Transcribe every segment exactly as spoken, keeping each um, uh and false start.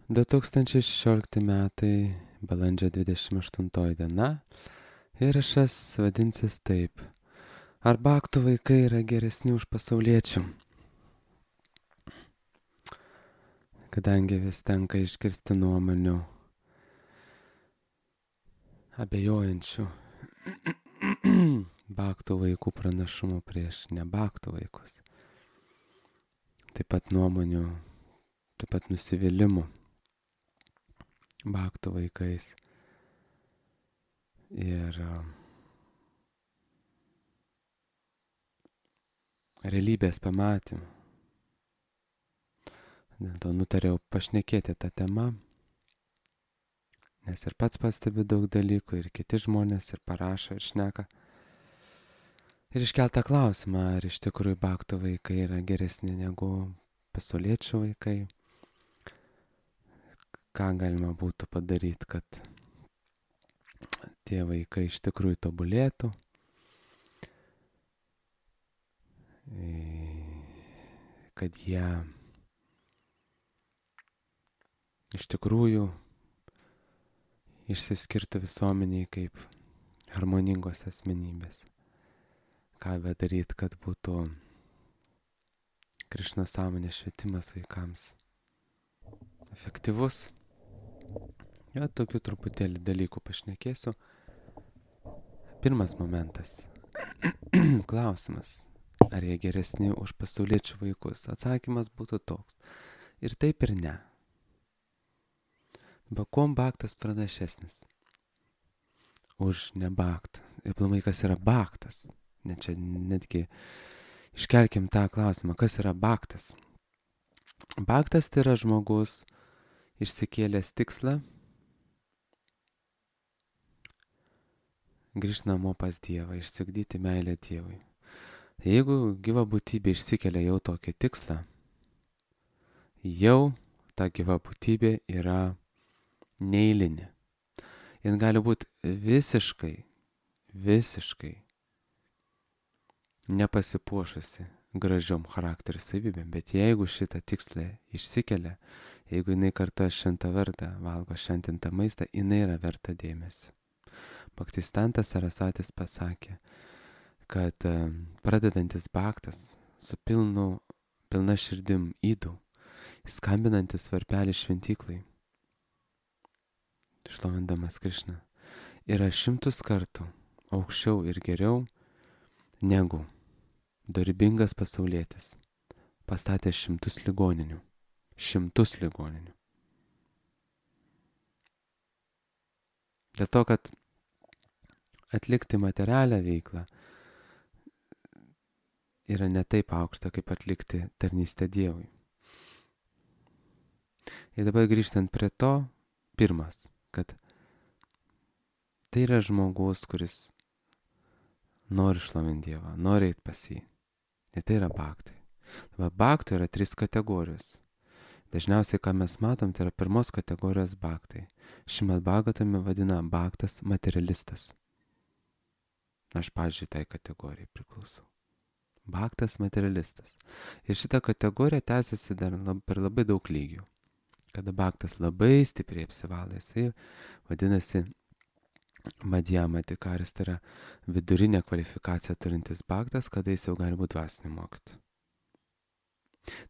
du tūkstančiai šešiolikti metai, balandžio dvidešimt aštuntoji diena. Įrašas vadinsis taip. Ar baktų vaikai yra geresni už pasauliečių? Kadangi vis tenka išgirsti nuomonių abejojančių baktų vaikų pranašumų prieš nebaktų vaikus. Taip pat nuomonių, taip pat nusivylimų baktų vaikais. Ir realybės pamatymų. Dėl to nutariau pašnekėti tą temą, nes ir pats pastebiu daug dalykų, ir kiti žmonės, ir parašo, ir šneka. Ir iškeltą klausimą, ar iš tikrųjų baktų vaikai yra geresni negu pasauliečių vaikai. Ką galima būtų padaryti, kad tie vaikai iš tikrųjų tobulėtų. Kad jie iš tikrųjų išsiskirtų visuomeniai kaip harmoningos asmenybės. Ką bedaryti, kad būtų Krišnos sąmonės švietimas vaikams efektyvus. Jo, tokių truputėlį dalykų pašnekėsiu. Pirmas momentas. Klausimas. Ar jie geresni už pasauliečių vaikus? Atsakymas būtų toks. Ir taip ir ne. Bet kuom baktas pranašesnis už nebaktą? Ir plamai, kas yra baktas? Ne čia netgi iškelkim tą klausimą, kas yra baktas? Baktas tai yra žmogus išsikėlęs tikslą grįžti namo pas Dievą, išsiugdyti meilę Dievui. Jeigu gyva būtybė išsikelia jau tokį tikslą, jau ta gyva būtybė yra neeilinė. Jis gali būti visiškai, visiškai nepasipuošusi gražiom charakterio savybėm, bet jeigu šitą tikslą išsikelia, jeigu jinai kartoja šventą vardą, valgo šventintą maistą, jinai yra verta dėmesio. Bhaktistantas Sarasatis pasakė, kad pradedantis baktas su pilnu, pilna širdim įdų, skambinantis varpelį šventyklai, šlovindamas Krišną, yra šimtus kartų aukščiau ir geriau negu dorybingas pasaulietis pastatė šimtus ligoninių. Šimtus ligoninių. Dėl to, kad atlikti materialią veiklą yra ne taip aukšta, kaip atlikti tarnystę Dievui. Ir dabar grįžtant prie to, pirmas, kad tai yra žmogus, kuris nori šlovinti Dievą, nori eiti pas jį. Ir tai yra baktai. Dabar baktai yra trys kategorijos. Dažniausiai, ką mes matom, tai yra pirmos kategorijos baktai. Šimad Bhagatame vadina baktas materialistas. Aš, pavyzdžiui, tai kategorijai priklausau. Baktas materialistas. Ir šita kategorija tęsiasi dar lab, per labai daug lygių. Kada baktas labai stipriai apsivalė, jisai vadinasi Madhyamatikaris, tai yra vidurinė kvalifikacija turintis baktas, kada jis jau gali būti dvasinį mokytoją.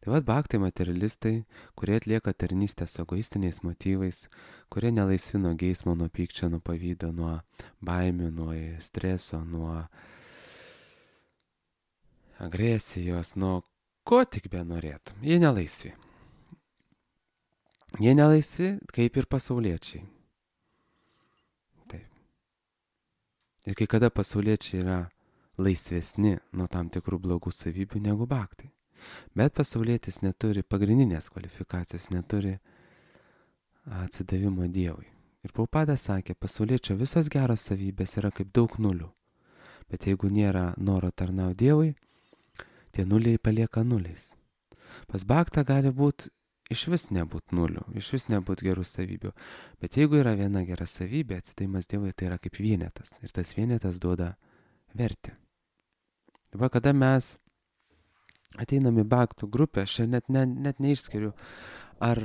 Tai vad baktai materialistai, kurie atlieka tarnystę su egoistiniais motyvais, kurie nelaisvi nuo geismo, nuo pykčio, nuo pavydo, nuo baimių, nuo streso, nuo agresijos, nuo ko tik benorėtum. Jie nelaisvi. Jie nelaisvi kaip ir pasauliečiai. Taip. Ir kai kada pasauliečiai yra laisvesni nuo tam tikrų blogų savybių negu baktai. Bet pasaulietis neturi pagrindinės kvalifikacijos, neturi atsidavimo Dievui. Ir Prabhupada sakė, pasauliečio visos geros savybės yra kaip daug nulių. Bet jeigu nėra noro tarnauti Dievui, tie nuliai palieka nuliais. Pas baktą gali būti iš vis nebūt nulių, iš vis nebūt gerų savybių. Bet jeigu yra viena gera savybė, atsidavimas Dievui tai yra kaip vienetas. Ir tas vienetas duoda vertę. Va, kada mes ateinam į baktų grupę, aš net, ne, net neišskiriu, ar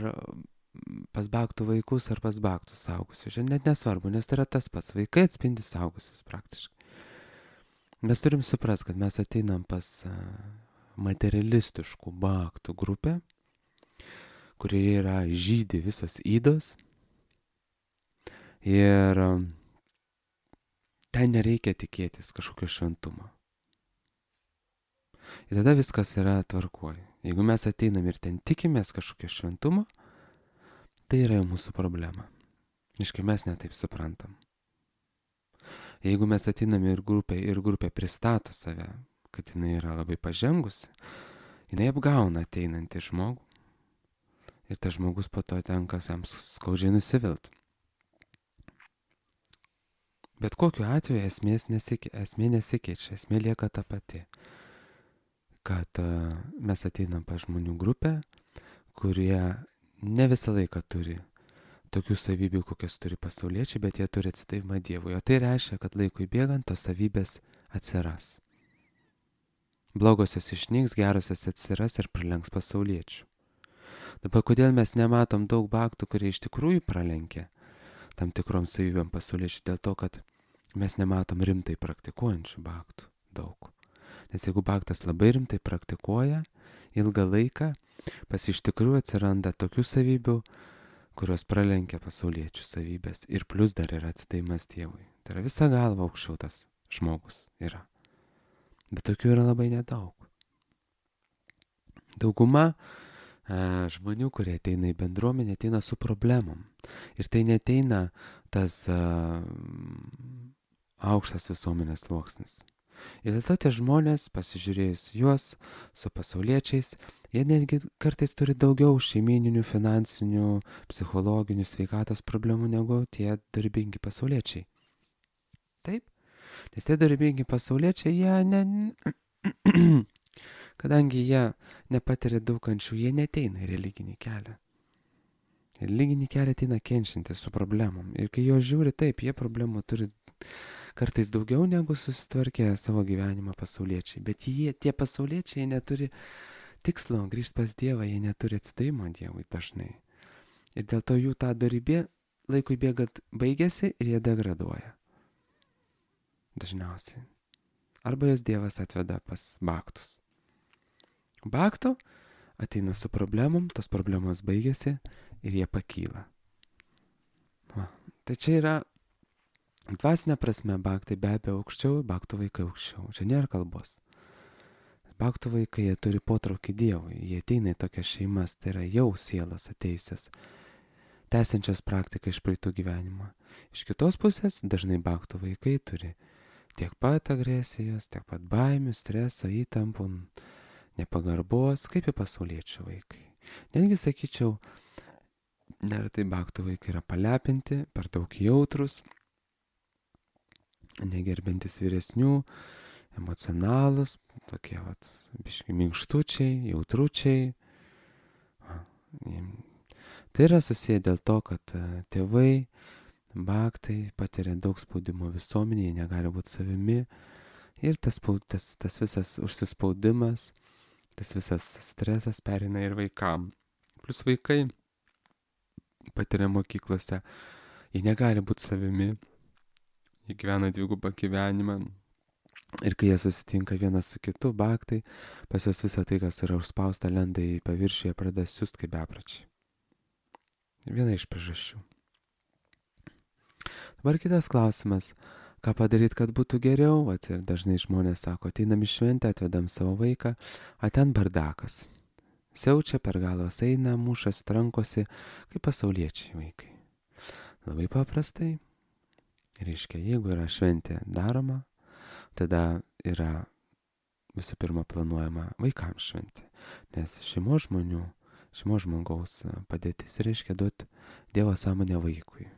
pas baktų vaikus ar pas baktų saugusius. Čia net nesvarbu, nes tai yra tas pats. Vaikai atspindi saugusius praktiškai. Mes turim suprasti, kad mes ateinam pas materialistiškų baktų grupę, kurioje yra žydi visos ydos. Ir ten nereikia tikėtis kažkokio šventumo. Ir tada viskas yra tvarkoj. Jeigu mes ateinam ir ten tikimės kažkokio šventumo, tai yra jau mūsų problema. Iškai mes netaip suprantam. Jeigu mes ateinam ir grupė, ir grupė pristato save, kad jinai yra labai pažengusi, jinai apgauna ateinantį žmogų. Ir tas žmogus po to tenka jam skaudžiai nusivilt. Bet kokiu atveju esmės nesike, esmė nesikeičia, esmė lieka ta pati. Kad uh, mes ateinam pas žmonių grupę, kurie ne visą laiką turi tokių savybių, kokias turi pasauliečiai, bet jie turi atsidavimą Dievui. O tai reiškia, kad laikui bėgant tos savybės atsiras. Blogosios išnyks, gerosios atsiras ir pralenks pasauliečių. Dabar kodėl mes nematom daug baktų, kurie iš tikrųjų pralenkia tam tikrom savybėm pasauliečių? Dėl to, kad mes nematom rimtai praktikuojančių baktų daug. Nes jeigu baktas labai rimtai praktikuoja ilgą laiką, pas iš tikrųjų atsiranda tokių savybių, kurios pralenkia pasauliečių savybės. Ir plus dar yra atsidavimas Dievui. Tai yra visa galva aukščiau tas žmogus yra. Bet tokių yra labai nedaug. Dauguma e, žmonių, kurie ateina į bendruomenę, ateina su problemom. Ir tai neteina tas e, aukštas visuomenės sluoksnis. Ir dėl to tie žmonės, pasižiūrėjus juos su pasauliečiais, jie netgi kartais turi daugiau šeimininių, finansinių, psichologinių, sveikatos problemų negu tie darbingi pasauliečiai. Taip? Nes tie darbingi pasauliečiai, jie ne... kadangi jie nepatiria daug kančių, jie neteina į religinį kelią. Religinį kelią ateina kenčiantis su problemom. Ir kai jo žiūri, taip, jie problemų turi kartais daugiau negu susitvarkė savo gyvenimą pasauliečiai. Bet jie, tie pasauliečiai, jie neturi tikslo grįžti pas Dievą, jie neturi atsidavimo Dievui dažnai. Ir dėl to jų ta dorybė laikui bėgant baigėsi ir jie degraduoja. Dažniausiai. Arba jos Dievas atveda pas baktus. Baktų ateina su problemom, tos problemos baigėsi ir jie pakyla. Va. Tai čia yra dvasinė prasme, baktai be abejo aukščiau, baktų vaikai aukščiau. Čia nėra kalbos. Baktų vaikai, jie turi potraukį Dievui. Jie ateina į tokias šeimas, tai yra jau sielos atėjusios, tęsiančios praktiką iš praeitų gyvenimo. Iš kitos pusės, dažnai baktų vaikai turi tiek pat agresijos, tiek pat baimių, streso, įtampų, nepagarbos, kaip ir pasauliečių vaikai. Netgi sakyčiau, neretai baktų vaikai yra palepinti, per daug jautrus, negerbintis vyresnių, emocionalus, tokie vat, biškai minkštučiai, jautručiai. Tai yra susiję dėl to, kad tėvai, baktai patiria daug spaudimo visuomenėje, negali būti savimi ir tas, tas, tas visas užsispaudimas, tas visas stresas pereina ir vaikam. Plus vaikai patiria mokyklose, jie negali būti savimi. Jie gyvena dvigubą gyvenimą ir kai jie susitinka vienas su kitu, baktai, pas juos visą tai, kas yra užspausta, lenda į paviršių, jie pradeda siūst kaip bepračiai. Viena iš priežasčių. Dabar kitas klausimas, ką padaryti, kad būtų geriau, at ir dažnai žmonės sako, ateinam į šventę, atvedam savo vaiką, a ten bardakas. Siaučia, per galvas eina, mušas, trankosi, kaip pasauliečiai vaikai. Labai paprastai. Reiškia, jeigu yra šventė daroma, tada yra visų pirma planuojama vaikams šventė. Nes šeimos žmonių, šeimos žmogaus padėtis reiškia duoti Dievo sąmonę vaikui.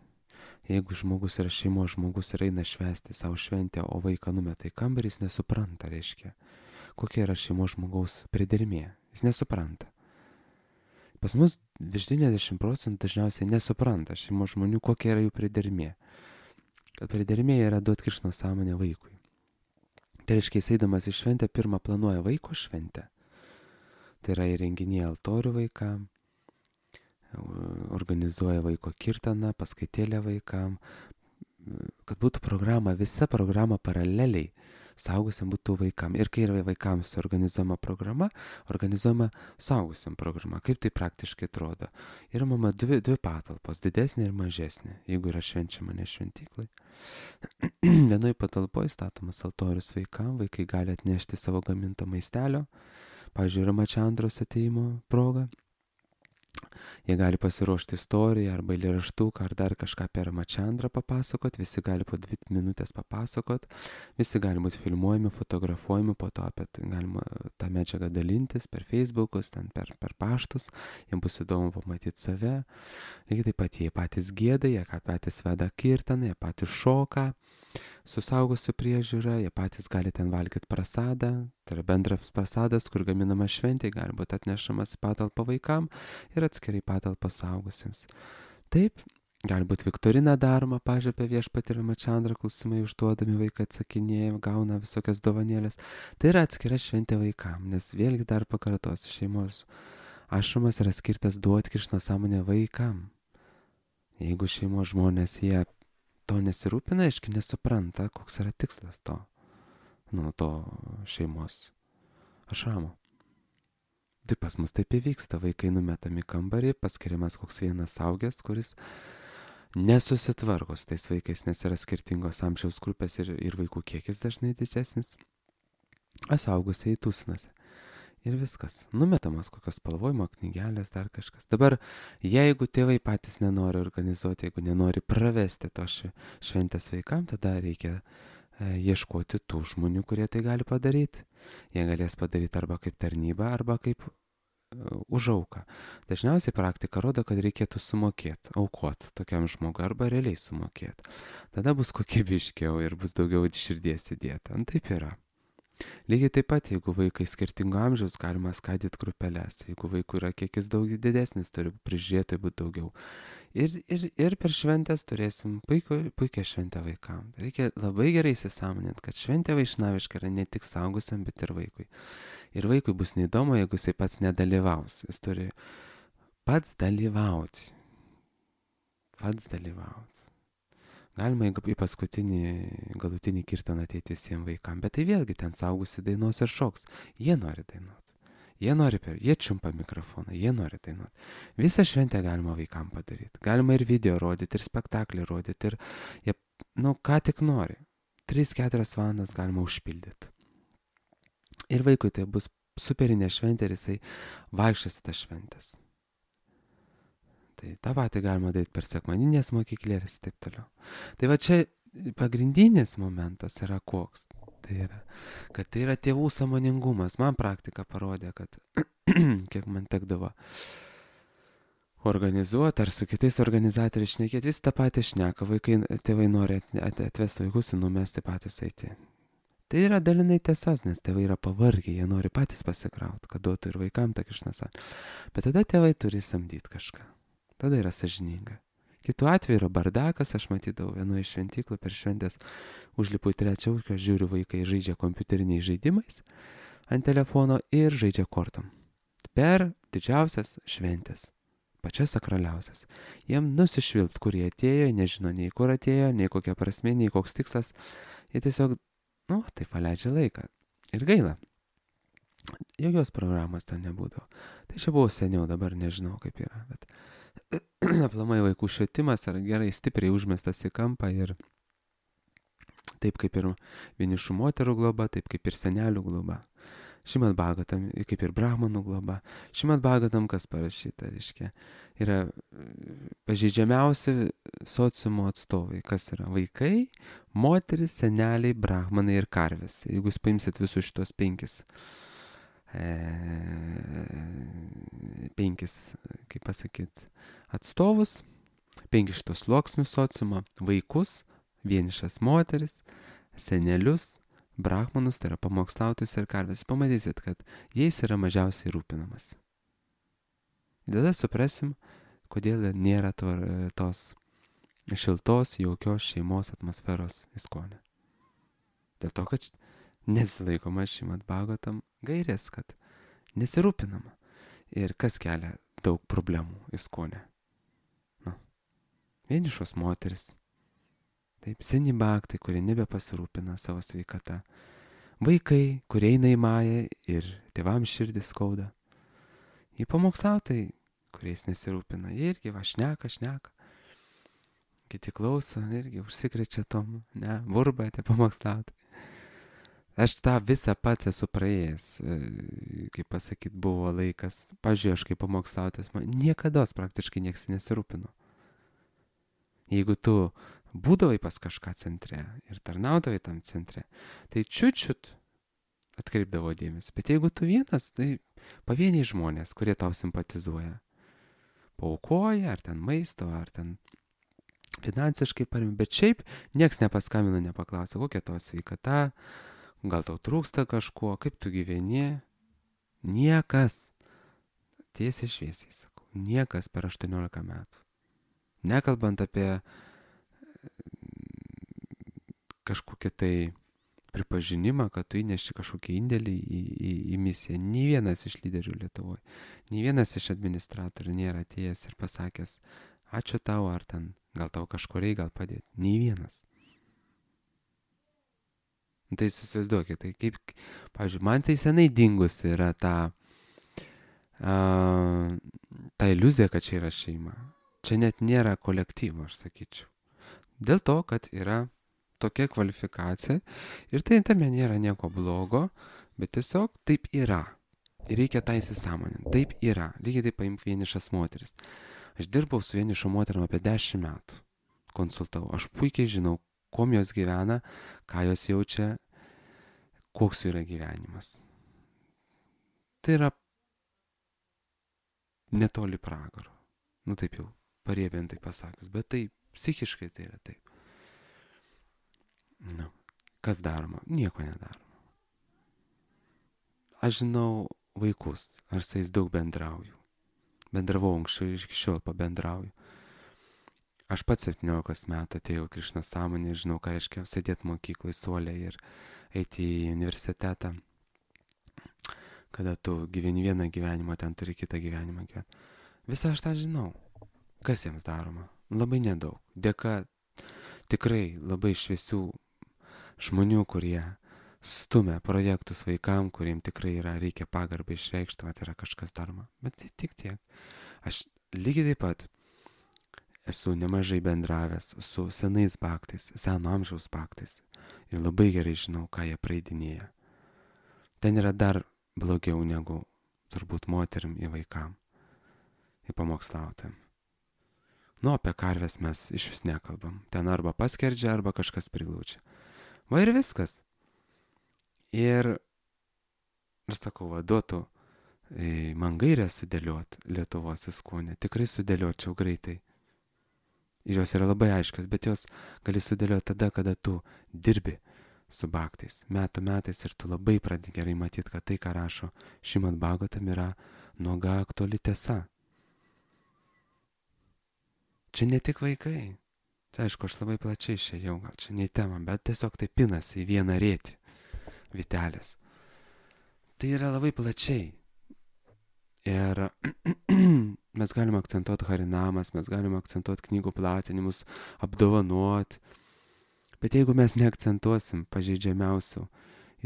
Jeigu žmogus yra šeimos žmogus ir eina švęsti savo šventę, o vaiką numeta į kambarį, jis nesupranta, reiškia, kokia yra šeimos žmogaus pridermė. Jis nesupranta. Pas mus virš devyniasdešimt procentų dažniausiai nesupranta šeimos žmonių, kokia yra jų pridermė. Kad pridermė yra duoti Krishno sąmonę vaikui. Tai reiškia, jis eidamas į šventę, pirmą planuoja vaiko šventę. Tai yra įrenginėja altorių vaikam, organizuoja vaiko kirtaną, paskaitėlę vaikam, kad būtų programa, visa programa paraleliai suaugusiam būtų vaikam. Ir kai yra vaikams organizuojama programa, organizuojama suaugusiam programa. Kaip tai praktiškai atrodo? Yra mama dvi, dvi patalpos, didesnė ir mažesnė, jeigu yra švenčiama ne šventyklai. Vienoj patalpoje statomas altorius vaikam, vaikai gali atnešti savo gaminto maistelio, pavyzdžiui, yra mačiandros ateimo proga. Jie gali pasiruošti istoriją arba eilėraštuką ar dar kažką per mačiandrą papasakot, visi gali po dvi minutės papasakot, visi gali būti filmuojami, fotografuojami, po to apie tai galima tą medžiagą dalintis per Facebookus, ten per, per paštus, jiems bus įdomu pamatyti save. Lygiai taip pat jie patys gėda, jie patys veda kirtaną, jie patys šoka, su saugusiu priežiūra, jie patys gali ten valgyti prasadą, tai yra bendras prasadas, kur gaminama šventė, gali būti atnešamas į patalpą vaikam ir atskirai patalpą saugusiems. Taip, gali būti viktorina daroma, pažiūrė apie viešpatį ir mačiandrą, klausimai užduodami, vaikai atsakinėja, gauna visokias dovanėlės. Tai yra atskira šventė vaikam, nes vėlgi dar pakartosiu, šeimos ašramas yra skirtas duoti Krishna sąmonę vaikam. Jeigu šeimos žmonės jie to nesirūpina, aiškiai nesupranta, koks yra tikslas to, nu, to šeimos ašramo. Tai pas mus taip įvyksta, vaikai numetami kambarį, paskiriamas koks vienas saugęs, kuris nesusitvarko su tais vaikais, nes yra skirtingos amžiaus grupės ir, ir vaikų kiekis dažnai didesnis, o saugusiai tūsinasi. Ir viskas. Numetamos kokios spalvojimo knygelės, dar kažkas. Dabar, jeigu tėvai patys nenori organizuoti, jeigu nenori pravesti to šventės vaikam, tada reikia e, ieškoti tų žmonių, kurie tai gali padaryti. Jie galės padaryti arba kaip tarnyba, arba kaip e, už auką. Dažniausiai praktika rodo, kad reikėtų sumokėti, aukoti tokiam žmogui, arba realiai sumokėti. Tada bus kokybiškiau ir bus daugiau širdies įdėta. Ant taip yra. Lygiai taip pat, jeigu vaikai skirtingo amžiaus, galima skaidyti grupelės. Jeigu vaikų yra kiekis daug didesnis, turi prižiūrėtojų būti daugiau. Ir, ir, ir per šventės turėsim puiku, puikią šventę vaikam. Reikia labai gerai įsisąmoninti, kad šventė vaišnaviška yra ne tik saugusiam, bet ir vaikui. Ir vaikui bus neįdomu, jeigu jisai pats nedalyvaus. Jis turi pats dalyvauti. Pats dalyvauti. Galima į paskutinį galutinį kirtaną ateiti visiems vaikams, bet tai vėlgi ten saugusi dainos ir šoks. Jie nori dainuoti. Jie nori per, jie čiumpa mikrofoną, jie nori dainuoti. Visą šventę galima vaikams padaryti. Galima ir video rodyti, ir spektaklį rodyti, ir jie, nu, ką tik nori. tris keturias valandas galima užpildyti. Ir vaikui tai bus superinė šventė ir jisai vaikščios į tas šventės. Tai tą patį galima daryti per sekmadinės mokyklėlės ir taip toliau. Tai va čia pagrindinis momentas yra koks. Tai yra, kad tai yra tėvų sąmoningumas. Man praktika parodė, kad kiek man tekdavo organizuoti ar su kitais organizatoriais šnekėti, vis tą patį šneka. Vaikai, tėvai nori atvesti vaikus ir numesti patys eiti. Tai yra dalinai tiesas, nes tėvai yra pavargę, jie nori patys pasikrauti, kad duotų ir vaikam tą Krišną. Bet tada tėvai turi samdyti kažką. Tada yra sąžininga. Kitu atveju yra bardakas, aš matydavau vienoje iš šventyklų per šventės, užlipu į trečią aukštą, žiūriu, vaikai žaidžia kompiuteriniais žaidimais ant telefono ir žaidžia kortom. Per didžiausias šventės, pačias sakraliausias. Jiem nusišvilpt, kur jie atėjo, nežino nei kur atėjo, nei kokia prasmė, nei koks tikslas. Jie tiesiog, nu, taip paleidžia laiką. Ir gaila. Jokios programos ten nebūdavo. Tai čia buvo seniau, dabar nežinau kaip yra, bet aplamai vaikų švietimas yra gerai stipriai užmestas į kampą ir taip kaip ir vienišų moterų globa, taip kaip ir senelių globa. Šimad Bhagavatam, kaip ir Brahmanų globa. Šimad Bhagavatam, kas parašyta, reiškia, yra pažeidžiamiausi sociumo atstovai, kas yra vaikai, moteris, seneliai, brahmanai ir karvės. Jeigu jūs paimsit visus šitos penkis E, penkis, kaip pasakyti, atstovus, penkis šitos sluoksnius sociumo, vaikus, vienišas moteris, senelius, brahmanus, tai yra pamokslautojus ir karvės. Pamatysit, kad jais yra mažiausiai rūpinamas. Tada suprasim, kodėl nėra to, tos šiltos, jaukios šeimos atmosferos įskonė. Dėl to, kad nesilaikoma Šimad Bhagavatam gairės, kad nesirūpinama. Ir kas kelia daug problemų įskonė. Nu. Vienišos moteris. Taip, seni baktai, kurie nebepasirūpina savo sveikata. Vaikai, kurie eina į mają ir tėvams širdis skauda. Į pamokslautai, kuriais nesirūpina, jie irgi va šneka, šneka. Kiti klauso, irgi užsikrečia tom, ne, burba tie pamokslautai. Aš tą visą pats esu praėjęs, kaip pasakyt, buvo laikas. Pavyzdžiui, aš kaip pamokslautas, man niekados praktiškai nieks nesirūpino. Jeigu tu būdavai pas kažką centre ir tarnaudavai tam centre, tai čiut-čiut atkreipdavo dėmesį. Bet jeigu tu vienas, tai pavieniai žmonės, kurie tau simpatizuoja, paaukoja, ar ten maisto, ar ten finansiškai parėmė. Bet šiaip nieks nepaskambino, nepaklausė, kokia tavo sveikata, gal tau trūksta kažko, kaip tu gyveni. Niekas. Tiesiai šviesiai sakau. Niekas per aštuoniolika metų. Nekalbant apie kažkokį tai pripažinimą, kad tu įneši kažkokį indėlį į, į, į misiją. Nė vienas iš lyderių Lietuvoje, nė vienas iš administratorių nėra atėjęs ir pasakęs, ačiū tau, ar ten, gal tau kažko reikia, gal padėti. Nė vienas. Tai susivaizduokit, tai kaip, pavyzdžiui, man tai senai dingusi yra ta, uh, ta iliuzija, kad čia yra šeima. Čia net nėra kolektyvo, aš sakyčiau. Dėl to, kad yra tokia kvalifikacija ir tai tame nėra nieko blogo, bet tiesiog taip yra. Ir reikia tą įsisąmoninti. Taip yra. Lygiai taip paimk vienišas moteris. Aš dirbau su vienišo moterim apie dešimt metų. Konsultavau. Aš puikiai žinau, kuom jos gyvena, ką jos jaučia, koks jų yra gyvenimas. Tai yra netoli pragaro. Nu taip jau, pariebiantai pasakius. Bet tai psichiškai tai yra taip. Nu, kas daroma? Nieko nedaroma. Aš žinau vaikus, aš su jais daug bendrauju. Bendravau anksčiau ir iki šiol pabendrauju. Aš pats septyniolikos metų atėjau Krišna sąmonė ir žinau, ką reiškia sėdėti mokyklai suolė ir eiti į universitetą. Kada tu gyveni vieną gyvenimą, ten turi kitą gyvenimą gyventi. Visą aš tą žinau. Kas jiems daroma? Labai nedaug. Dėka tikrai labai šviesių žmonių, kurie stumia projektus vaikam, kuriem tikrai yra, reikia pagarbą išreikšti, va, tai yra kažkas daroma. Bet tai tik tiek. Aš lygiai taip pat esu nemažai bendravęs su senais baktais, seno amžiaus baktais. Ir labai gerai žinau, ką jie praeidinėja. Ten yra dar blogiau negu turbūt moterim į vaikam, į pamokslautojam. Nu, apie karves mes iš vis nekalbam. Ten arba paskerdžia, arba kažkas priglaučia. Va ir viskas. Ir, aš sakau, va, duotų e, man gairę sudėliot Lietuvos įskonę. Tikrai sudėliočiau greitai. Ir jos yra labai aiškios, bet jos gali sudėlioti tada, kada tu dirbi su baktais. Metų metais ir tu labai pradedi gerai matyti, kad tai, ką rašo Šrimad Bhagavatam, yra nuoga aktuali tiesa. Čia ne tik vaikai. Tai aišku, aš labai plačiai išėjau, gal čia ne į temą, bet tiesiog tai pinasi į vieną rėtį vitelės. Tai yra labai plačiai. Ir mes galime akcentuoti harinamas, mes galime akcentuoti knygų platinimus, apdovanoti. Bet jeigu mes neakcentuosim pažeidžiamiausių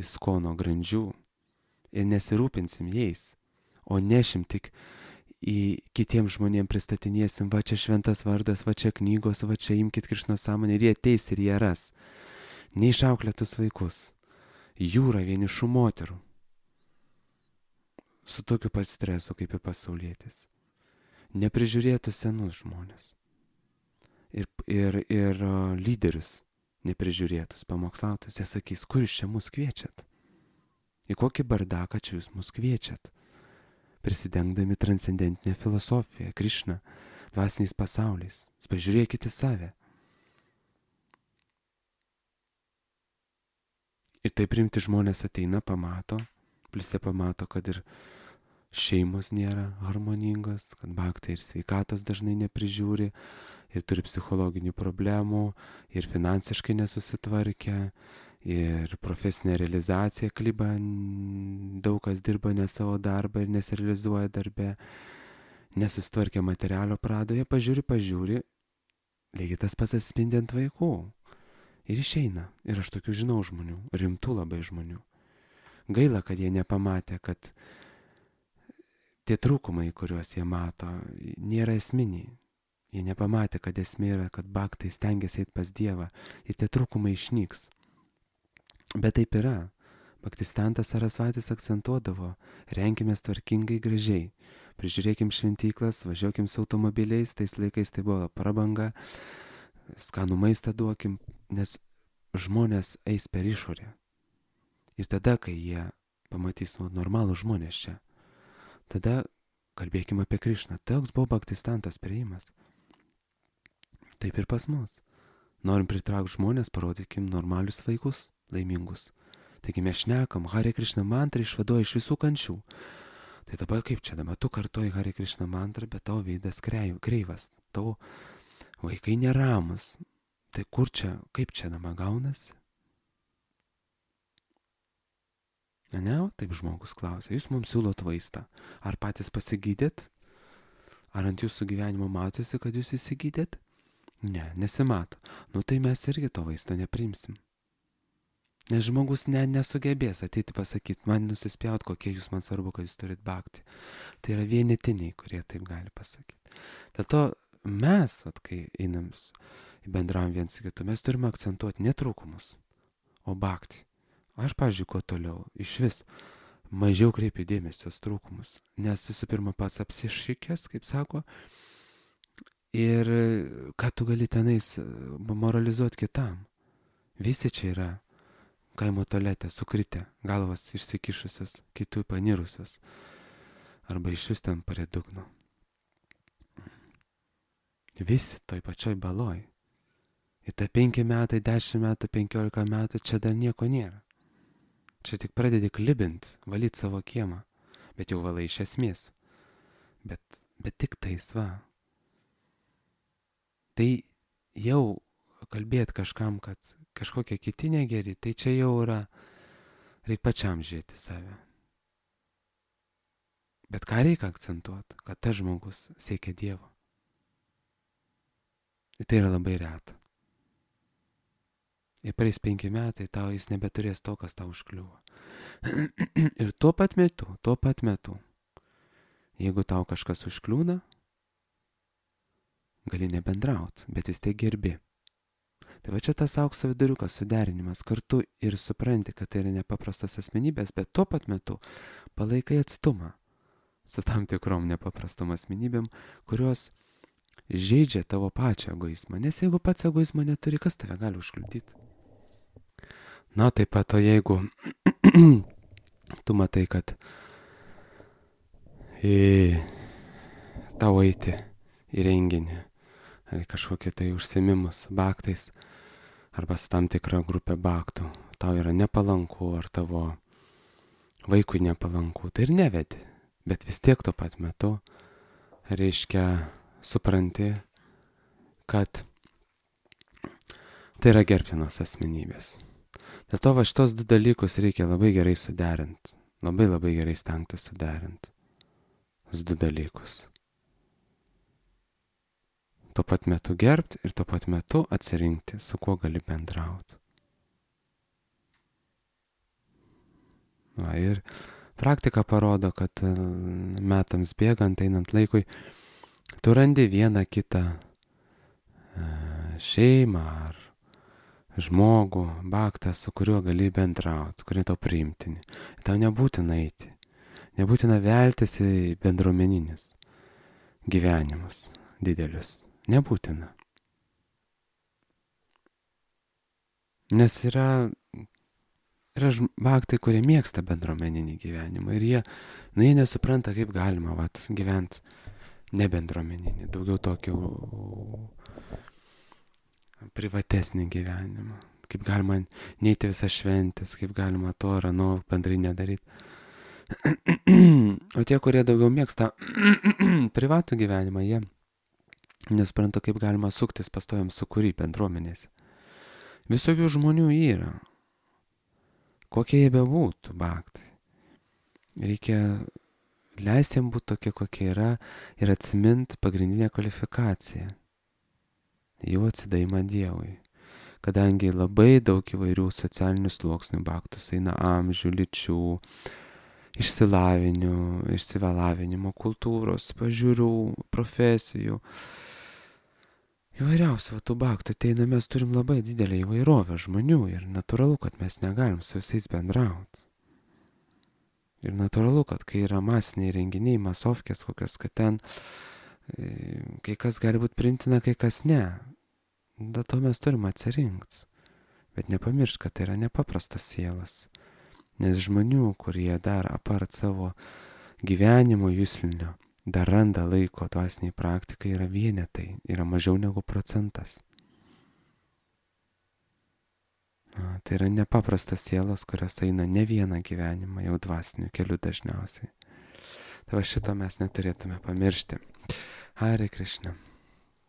įskono grandžių ir nesirūpinsim jais, o nešim tik į kitiems žmonėms pristatinėsim, va čia šventas vardas, va čia knygos, va čia imkit Krišno sąmonę ir jie ateis ir jie ras. Neišauklėtus vaikus, jūra vienišų moterų, su tokiu pat stresu kaip ir pasaulietis. Neprižiūrėtų senus žmonės. Ir, ir, ir uh, lyderius neprižiūrėtus, pamokslautus, jie sakys, kur jūs čia mus kviečiat? Į kokį bardaką čia jūs mus kviečiat? Prisidengdami transcendentinę filosofiją, Krišną, dvasiniais pasauliais. Pažiūrėkite į save. Ir taip rimti žmonės ateina, pamato, plus jie pamato, kad ir šeimos nėra harmoningos, kad baktai ir sveikatos dažnai neprižiūri, ir turi psichologinių problemų, ir finansiškai nesusitvarkę, ir profesinė realizacija kliba, daug kas dirba ne savo darbą ir nesirealizuoja darbe. nesusitvarkė materialio pradoje, pažiūri, pažiūri, lygiai tas pats atspindi ant vaikų. Ir išeina. Ir aš tokių žinau žmonių, rimtų labai žmonių. Gaila, kad jie nepamatė, kad tie trūkumai, kuriuos jie mato, nėra esminiai. Jie nepamatė, kad esmė yra, kad bhaktai stengiasi eiti pas Dievą ir tie trūkumai išnyks. Bet taip yra. Bhaktistantas Sarasvatis akcentuodavo, renkimės tvarkingai gražiai, prižiūrėkim šventyklas, važiuokim su automobiliais, tais laikais tai buvo prabanga, skanų maistą duokim, nes žmonės eis per išorę. Ir tada, kai jie pamatys nu, normalų žmonės čia, tada kalbėkim apie Krišną. Toks buvo bhaktistantos priėjimas. Taip ir pas mus. Norim pritraukti žmonės, parodykim normalius vaikus, laimingus. Taigi mes šnekam, Hare Krishna mantra išvaduoja iš visų kančių. Tai dabar kaip čia, dabar tu kartoji Hare Krishna mantrą, bet tavo veidas kreivas, tavo vaikai neramus. Tai kur čia, kaip čia dabar gaunasi? Ne, taip žmogus klausia, jūs mums siūlot vaistą. Ar patys pasigydėt? Ar ant jūsų gyvenimo matosi, kad jūs įsigydėt? Ne, nesimato. Nu tai mes irgi to vaisto neprimsim. Nes žmogus ne, nesugebės ateiti pasakyti, man nusispjaut, kokie jūs man svarbu, kad jūs turit bhakti. Tai yra vienetiniai, kurie taip gali pasakyti. Dėl to mes, at, kai einam bendravom viens su kitu, mes turime akcentuoti ne trūkumus, o bhakti. Aš, pavyzdžiui, kuo toliau, iš vis mažiau kreipiu dėmesio trūkumus, nes visų pirma pats apsišikęs, kaip sako, ir ką tu gali tenais moralizuoti kitam. Visi čia yra kaimo tualete sukritę, galvas išsikišusios, kitų panirusios, arba iš vis ten prie dugno. Visi toj pačioj baloj. Ir ta penki metai, dešimt metų, penkiolika metų, čia dar nieko nėra. Čia tik pradedi klibint, valyti savo kiemą, bet jau valai iš esmės. Bet, bet tik tais, va. Tai jau kalbėti kažkam, kad kažkokie kiti negeri, tai čia jau yra, reikia pačiam žiūrėti save. Bet ką reikia akcentuoti, kad tas žmogus siekia Dievo. Ir tai yra labai reta. Ir praeis penki metai, tau jis nebeturės to, kas tau užkliuvo. Ir tuo pat metu, tuo pat metu, jeigu tau kažkas užkliūna, gali nebendraut, bet vis tiek gerbi. Tai va čia tas aukso viduriukas, suderinimas, kartu ir supranti, kad tai yra nepaprastas asmenybės, bet tuo pat metu palaikai atstumą su tam tikrom nepaprastom asmenybėm, kurios žaidžia tavo pačią egoizmą. Nes jeigu pats egoizmo neturi, kas tave gali užkliudyti? Na, taip pat, o jeigu tu matai, kad į tau eiti į renginį, ar kažkokie tai užsiėmimus su bhaktais, arba su tam tikra grupė bhaktų, tau yra nepalanku, ar tavo vaikui nepalanku, tai ir nevedi. Bet vis tiek tuo pat metu, reiškia, supranti, kad tai yra gerbtinos asmenybės. Dėl to va šitos du dalykus reikia labai gerai suderinti, labai labai gerai stengtis suderinti. Tos du dalykus. Tuo pat metu gerbti ir tuo pat metu atsirinkti, su kuo gali bendrauti. Va, ir praktika parodo, kad metams bėgant, einant laikui, tu randi vieną kitą šeimą ar žmogų, bhaktą, su kuriuo gali bendrauti, kurie tau priimtini. Tau nebūtina eiti, nebūtina veltis į bendruomeninius gyvenimus didelius. Nebūtina. Nes yra, yra bhaktai, kurie mėgsta bendruomeninį gyvenimą ir jie, na, jie nesupranta, kaip galima vat, gyventi nebendruomeninį, daugiau tokį privatesnį gyvenimą. Kaip galima neiti visas šventės, kaip galima to ar ano bendrai nedaryti. O tie, kurie daugiau mėgsta privatų gyvenimą, jie nespranta, kaip galima suktis pastojam sukūry bendruomenėse. Visokių žmonių yra. Kokie jie bebūtų bhaktai. Reikia leisti jam būti tokie, kokie yra ir atsimint pagrindinę kvalifikaciją. Jų atsidavimą Dievui. Kadangi labai daug įvairių socialinių sluoksnių baktus eina amžių, lyčių, išsilavinimo, išsilavinimo, kultūros, pažiūrų, profesijų. Įvairiausių tų baktų ateina, mes turim labai didelę įvairovę žmonių ir natūralu, kad mes negalim su visais bendrauti. Ir natūralu, kad kai yra masiniai renginiai, masovkės kokios, kad ten kai kas gali būti priimtina, kai kas ne. Dėl to mes turim atsirinkti. Bet nepamiršt, kad tai yra nepaprastas sielas. Nes žmonių, kurie dar apart savo gyvenimo juslinio, dar randa laiko dvasiniai praktikai, yra vienetai, yra mažiau negu procentas. A, tai yra nepaprastas sielos, kurios eina ne vieną gyvenimą, jau dvasinių kelių dažniausiai. Tai va šito mes neturėtume pamiršti. Hare Krishna.